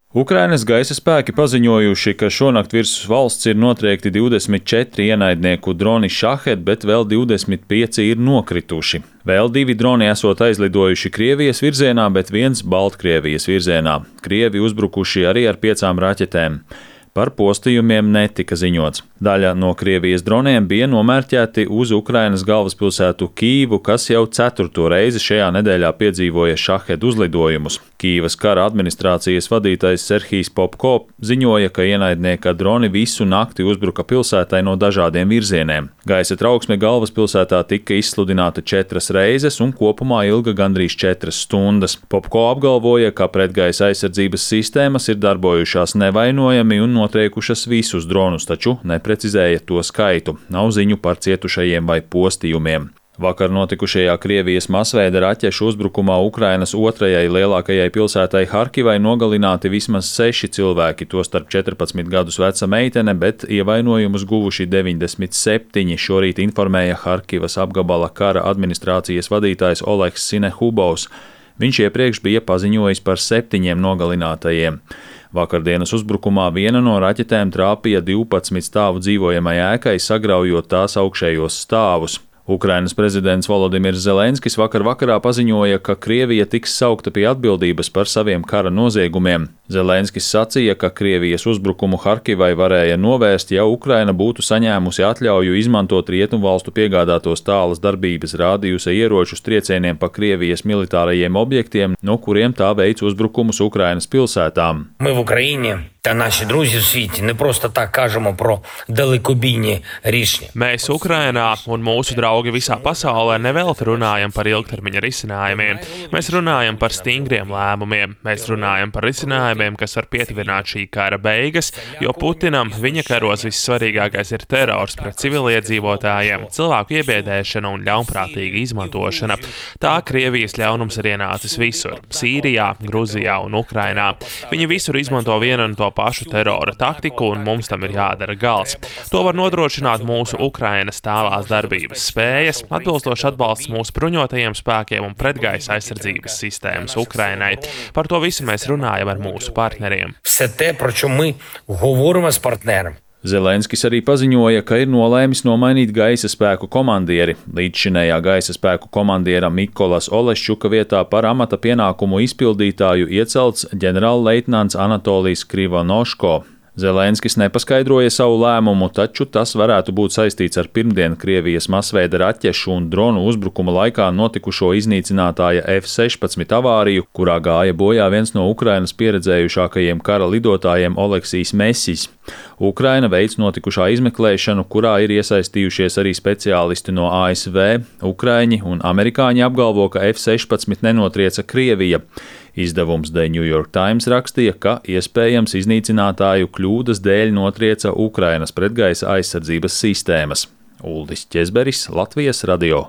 Ukrainas gaisa spēki paziņojuši, ka šonakt virs valsts ir notriekti 24 ienaidnieku droni Shahed, bet vēl 25 ir nokrituši. Vēl 2 droni esot aizlidojuši Krievijas virzienā, bet viens Baltkrievijas virzienā. Krievi uzbrukuši arī ar 5 raķetēm. Par postījumiem netika ziņots. Daļa no Krievijas droniem bija nomērķēti uz Ukrainas galvaspilsētu Kīvu, kas jau 4. reizi šajā nedēļā piedzīvoja Shahed uzlidojumus. Kīvas kara administrācijas vadītājs Serhijs Popko ziņoja, ka ienaidnieka droni visu nakti uzbruka pilsētai no dažādiem virzieniem. Gaisa trauksme galvaspilsētā tika izsludināta 4 reizes un kopumā ilga gandrīz 4 stundas. Popko apgalvoja, ka pretgaisa aizsardzības sistēmas ir darbojušās nevainojami un notriekušas visus dronus, taču neprecizēja to skaitu. Nav ziņu par cietušajiem vai postījumiem. Vakar notikušajā Krievijas masveida raķešu uzbrukumā Ukrainas otrajai lielākajai pilsētai Harkivai nogalināti vismaz 6 cilvēki, tostarp 14 gadus veca meitene, bet ievainojumus guvuši 97, šorīt informēja Harkivas apgabala kara administrācijas vadītājs Oleks Sinehubovs. Viņš iepriekš bija paziņojis par 7 nogalinātajiem. Vakardienas uzbrukumā viena no raķetēm trāpīja 12 stāvu dzīvojamai ēkai, sagraujot tās augšējos stāvus. Ukrainas prezidents Volodimirs Zelenskis vakarā paziņoja, ka Krievija tiks saukta pie atbildības par saviem kara noziegumiem. Zelenskis sacīja, ka Krievijas uzbrukumu Harkivai varēja novērst, ja Ukraina būtu saņēmusi atļauju izmantot Rietumvalstu piegādātos tālas darbības rādījusa ieročus triecieniem pa Krievijas militārajiem objektiem, no kuriem tā veic uzbrukumus Ukrainas pilsētām. Та наші друзі в світі не просто так кажемо про далекобійні рішення. Mēs Ukrainā un mūsu draugi visā pasaulē nevelti runājam par ilgtermiņa risinājumiem. Mēs runājam par stingriem lēmumiem. Mēs runājam par risinājumiem, kas var pietuvināt šī kara beigas, jo Putinam viņa karos vissvarīgākais ir terors pret civiliedzīvotājiem, cilvēku iebiedēšana un ļaunprātīga izmantošana. Tā Krievijas ļaunums ir ienācis visur - Sīrijā, Gruzijā un Ukrainā. Viņi visur izmanto vienu un to pašu terora taktiku, un mums tam ir jādara gals. To var nodrošināt mūsu Ukrainas tālās darbības spējas, atbilstoši atbalsts mūsu bruņotajiem spēkiem un pretgaisa aizsardzības sistēmas Ukrainai. Par to visu mēs runājam ar mūsu partneriem. Все те, про що ми говоримо з партнером. Zelenskis arī paziņoja, ka ir nolēmis nomainīt gaisa spēku komandieri. Līdzšinējā gaisa spēku komandiera Mikolas Oleščuka vietā par amata pienākumu izpildītāju iecelts ģenerālleitnants Anatolijs Krivonoško. Zelenskis nepaskaidroja savu lēmumu, taču tas varētu būt saistīts ar pirmdien Krievijas masveida raķešu un dronu uzbrukuma laikā notikušo iznīcinātāja F-16 avāriju, kurā gāja bojā viens no Ukrainas pieredzējušākajiem kara lidotājiem Oleksijs Mesis. Ukraina veic notikušā izmeklēšanu, kurā ir iesaistījušies arī speciālisti no ASV. Ukraiņi un amerikāņi apgalvo, ka F-16 nenotrieca Krievija. Izdevums The New York Times rakstīja, ka iespējams iznīcinātāju kļūdas dēļ notrieca Ukrainas pretgaisa aizsardzības sistēmas. Uldis Ķezberis, Latvijas radio.